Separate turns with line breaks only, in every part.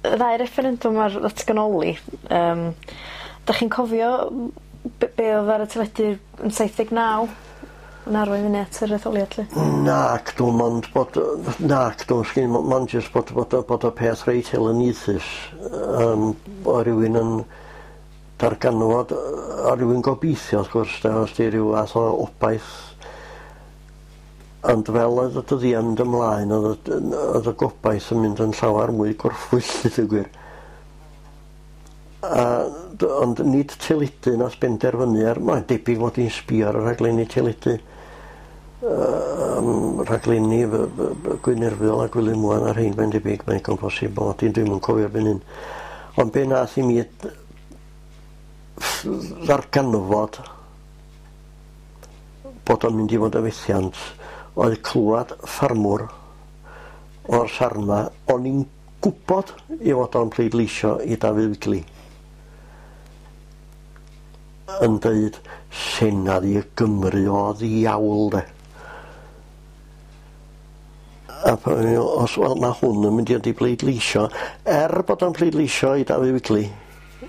Y ddau referendwm ar ddatganoli, dach chi'n cofio be oedd ar y teledu yn 79 yn arwain fyny at yr etholiad 'lly?
Nac dw mond bod nac dw sgin mond jyst bod y peth reit elyniaethus o rywun yn darganfod a rywun gobeithio wrth gwrs de os 'di ryw fath o obaith ond fel oedd y dyddiau'n mynd ymlaen oedd y gobaith yn mynd yn llawer mwy gorffwyll i ddweud gwir. Ond nid teledu nath benderfynu ar, mae'n debyg fod i'n sbio ar y rhaglenni teledu. Rhaglenni Gwyn Erfyl a Gwilym Wan a'r rhein mae'n debyg, mae'n digon posib bod i'n dwi'm yn cofio erbyn hyn. Ond be nath i mi ddarganfod bod o'n mynd i fod yn fethiant oedd clywed ffarmwr o'r sarna o'n i'n gwybod i fod o'n pleidleisio i Dafydd Wigley yn deud Senedd i Gymru o ddiawl de. A os wel mae hwn yn mynd i i bleidleisio, er bod o'n pleidleisio i Dafydd Wigley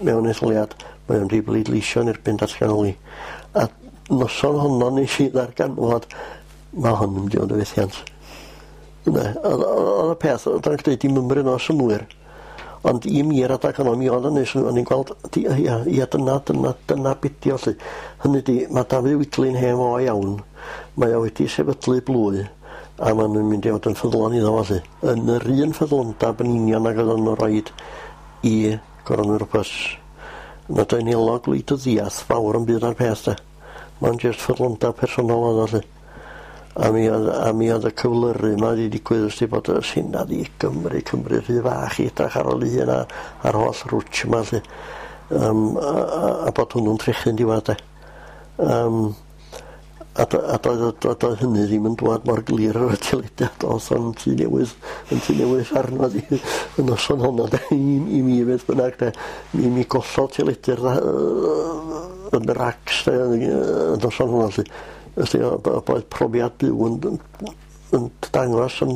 mewn etholiad, mae o'n mynd i bleidleisio yn erbyn datganoli. A noson honno nes i ddarganfod mae hwn yn mynd i fod yn fethiant. Oedd y peth, oedd o'n gwneud dim ymryn o synnwyr. Ond i mi'r adag honno, mi oedd yn neud synnwyr, o'n i'n gweld, ia, dyna be 'di o 'lly. Hynny 'di, mae Dafydd Wigley'n hen fo iawn, mae o wedi sefydlu blwy, a maen nhw'n mynd i fod yn ffyddlon iddo fo 'lly. Yn yr un ffyddlondab yn union ag oedden nhw'n rhoid i Goronwy Roberts. Nad oedd nelo gwleidyddiaeth fawr yn byd ar peth de. Mae'n jyst ffyddlondab personol oedd o 'lly. A mi oedd y cyflyru yma wedi digwydd ys bod y Senedd i Gymru, Cymru rhy fach i edrych ar ôl ei hun a'r holl rwtsh yma 'lly. A bod hwnnw'n trechu'n diwedd de. A doedd hynny ddim yn dŵad mor glir ar y teledu a doedd o'n tŷ newydd arno di y noson honno de, i mi beth bynnag de. Mi gollodd teledu'r yn yr acs de, y noson honno 'lly. Felly oedd profiad byw yn dangos yn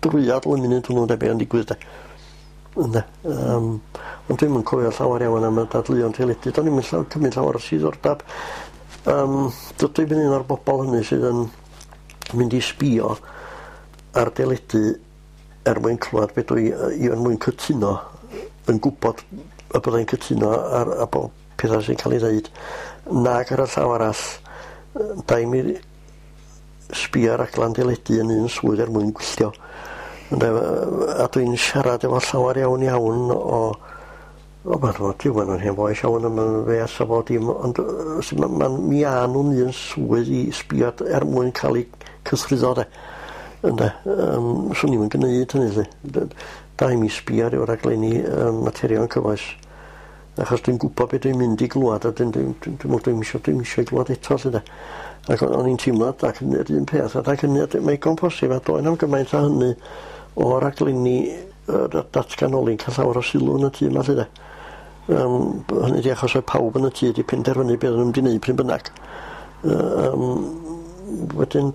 drwyadl y munud hwnnw de be o'n digwydd de. Ynde. Ond dwi'm yn cofio llawer iawn am y dadleuon teledu. Do'n i'm yn cymryd llawer o siddordab. Dydw i'm yn un o'r bobl hynny sydd yn mynd i sbio ar deledu er mwyn clywed be dwi i er mwyn cytuno, yn gwybod y byddai'n cytuno ar a bob pethau sy'n cael ei ddeud. Nag ar y llaw arall, da i mi sbio ar raglen deledu yn un swydd er mwyn gwylltio. A dwi'n siarad efo llawer iawn iawn o ma'n rhywun yn hen fois iawn am y fes a bod dim, ond mi a nhw'n un swydd i sbio er mwyn cael eu cythruddo de. Ynde, swn i'm yn gwneud hynny 'lly. Da i mi sbio ar ryw raglenni materion cyfoes. Achos dwi'n gwybod beth dwi'n mynd i glwad a dwi'n isio glwad eto 'lly de. Ac o'n i'n teimlo ac yr un peth adag hynny, mae digon posib a doedd na'm gymaint â hynny o raglenni datganoli'n cael llawer o sylw yn y tŷ yma 'lly de. Hynny 'di achos oedd pawb yn y tŷ wedi penderfynu beth oedden nhw'n mynd i wneud pryd bynnag. Wedyn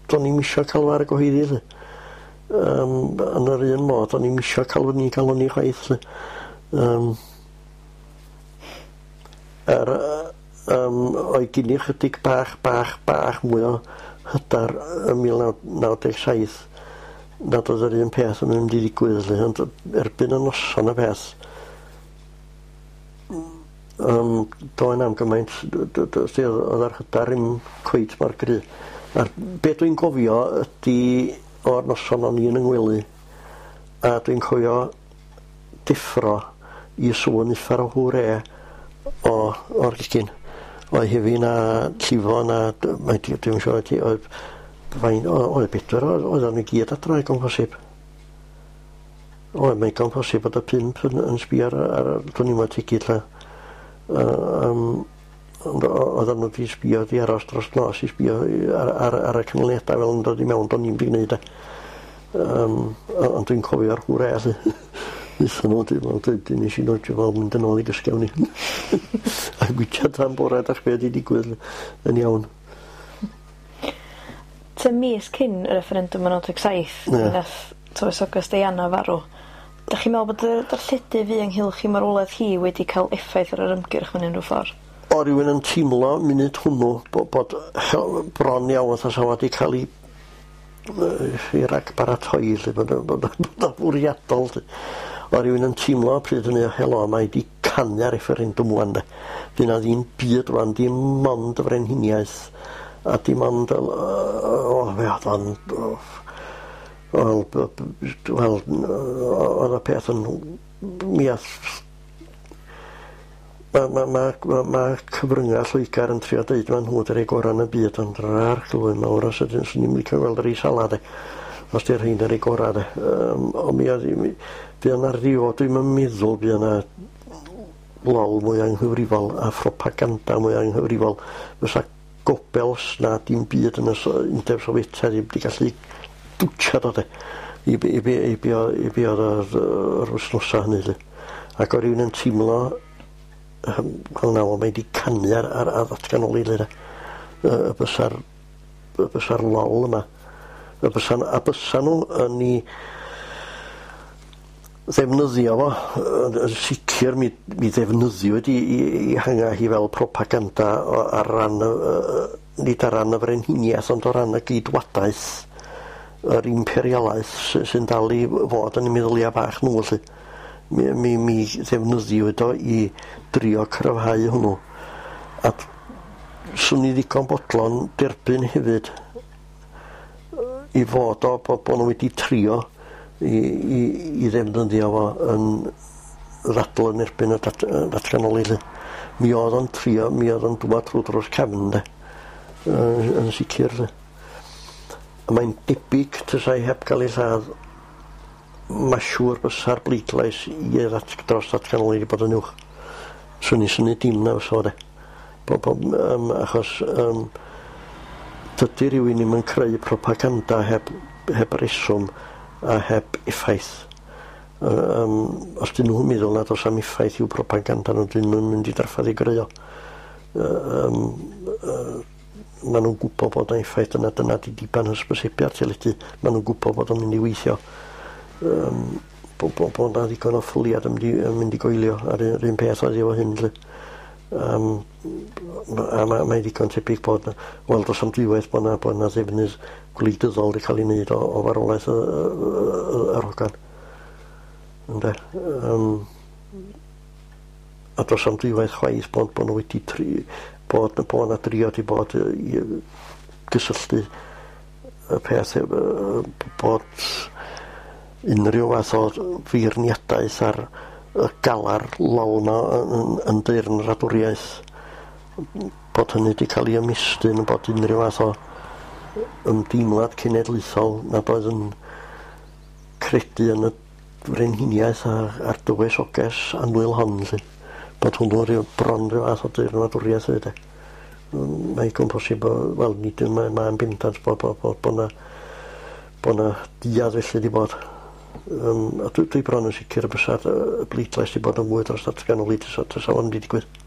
do'n i'm isio cael ar y gyhoeddi 'lly. Yn yr un modd, o'n i'm isio cael fyny galon i chwaith 'lly. Oedd gen i chydig bach mwy o hyder yn 1997 nad oedd yr un peth yn mynd i ddigwydd 'lly, ond erbyn y noson y peth doedd na'm gymaint, oedd yr hyder ddim cweit mor gry. A'r be dwi'n gofio ydi o'r noson o'n i yn 'y ngwely, a dwi'n cofio deffro i sŵn uffar o hwre o'r gegin. Oedd hefyd na llifo na, dwi'n siŵr oedd oedd bedwar, oedd o'n i gyd adra digon posib. Oedd mae'n digon posib bod y pump yn sbio ar dwi'n i'n tegid lle. Ond oedden nhw wedi sbio, wedi aros dros nos i sbio ar y canlyniadau fel yn dod i mewn, do'n i'm wedi gwneud e. Ond dwi'n cofio'r hwre 'lly. Wnaethon nhw, nes i nodio fel mynd yn ôl i gysgu awn i. A gwitsiad tan bore dach be wedi digwydd yn iawn.
Tua mis cyn y referendum yn 97, nath tywysoges Diana farw. Dach chi'n meddwl bod y darlledu fu ynghylch i marwolaeth hi wedi cael effaith ar yr ymgyrch mewn unrhyw ffordd?
O rywun yn teimlo munud hwnnw bod bron iawn fatha sa wedi cael ei i ragbaratoi 'lly bod o'n fwriadol 'lly. O rywun yn teimlo pryd hynny helo mae 'di canu ar referendum ŵan 'de. Fydd 'na ddim byd rŵan dim ond y frenhiniaeth a dim ond o fe o'dd o'n wel wel o'dd y peth yn mi ath ma' ma' ma' ma' ma' cyfrynga Lloegar yn trio deud ma' nhw 'di roi gora' yn y byd ond yr arglwydd mawr os ydyn swn i'm licio gweld y rei sala 'de. Os 'di rhein yn rei gora' 'de. Ond mi oedd mi fuo 'na ryw dwi'm yn meddwl buo 'na lol mwy anghyfrifol a phropaganda mwy anghyfrifol fysa Goebbels na dim byd yn y Undeb Sofietaidd ddim 'di gallu dwtsiad o de i be i be i be o i be o'dd yr wythnosa hynny 'lly. Ac o' rywun yn teimlo wel na mae 'di canu ar ar ar ddatganoli 'lly de. Y bysa'r lol yma y bysa a bysa nhw yn 'i ddefnyddio fo yn sicr mi ddefnyddiwyd i hanga hi fel propaganda ar ran y nid ar ran y frenhiniaeth ond o ran y geidwadaeth yr imperialaeth sy'n dal i fod yn 'u meddylia bach nhw 'lly. Mi ddefnyddiwyd o i drio cryfhau hwnnw. A swn i ddigon bodlon derbyn hefyd i fod o bod nhw wedi trio i ddefnyddio fo yn ddadl yn erbyn y datganoli 'lly. Mi oedd o'n trio, mi oedd o'n dŵad trwy drws cefn de. Yn sicr 'lly. A mae'n debyg tasai heb gael ei lladd ma' siŵr bysa'r bleidlais i dros ddatganoli wedi bod yn uwch. Swn i'n synnu dim na fysa fo de. Achos dydy rywun ddim yn creu propaganda heb reswm a heb effaith. Os dyn nhw'n meddwl nad oes am effaith i'w propaganda nhw, dyn nhw'n mynd i drafferth i greu o. Ma' nhw'n gwybod bod 'na effaith yna, dyna 'di diben hysbysebu ar teledu. Ma' nhw'n gwybod bod o'n mynd i weithio. Bod 'na ddigon o ffyliad yn mynd i goelio ar yr un peth oedd efo hyn 'lly. A mae'n ddigon tebyg bod 'na, wel do's 'am dwywaith bod 'na ddefnydd gwleidyddol wedi cael ei wneud o farwolaeth yr hogan. Ynde? A do's 'am dwywaith chwaith bod nhw wedi bod 'na drio 'di bod i gysylltu y peth bod unrhyw fath o feirniadaeth ar y galar lol 'ma yn deyrnradwriaeth, bod hynny wedi cael ei ymestyn, bod unrhyw fath o ymdeimlad cenedlaethol nad oedd yn credu yn y frenhiniaeth a'r dywysoges annwyl hon 'lly. Bod hwnnw rhyw bron rhyw fath o deyrnradwriaeth hefyd de. Mae'n digon posib wel nid yn mae'n bendant bod 'na duedd felly 'di bod. A dwi bron yn sicr y bysa'r bleidlais 'di bod yn fwy dros ddatganoli tasa fo'n 'di digwydd.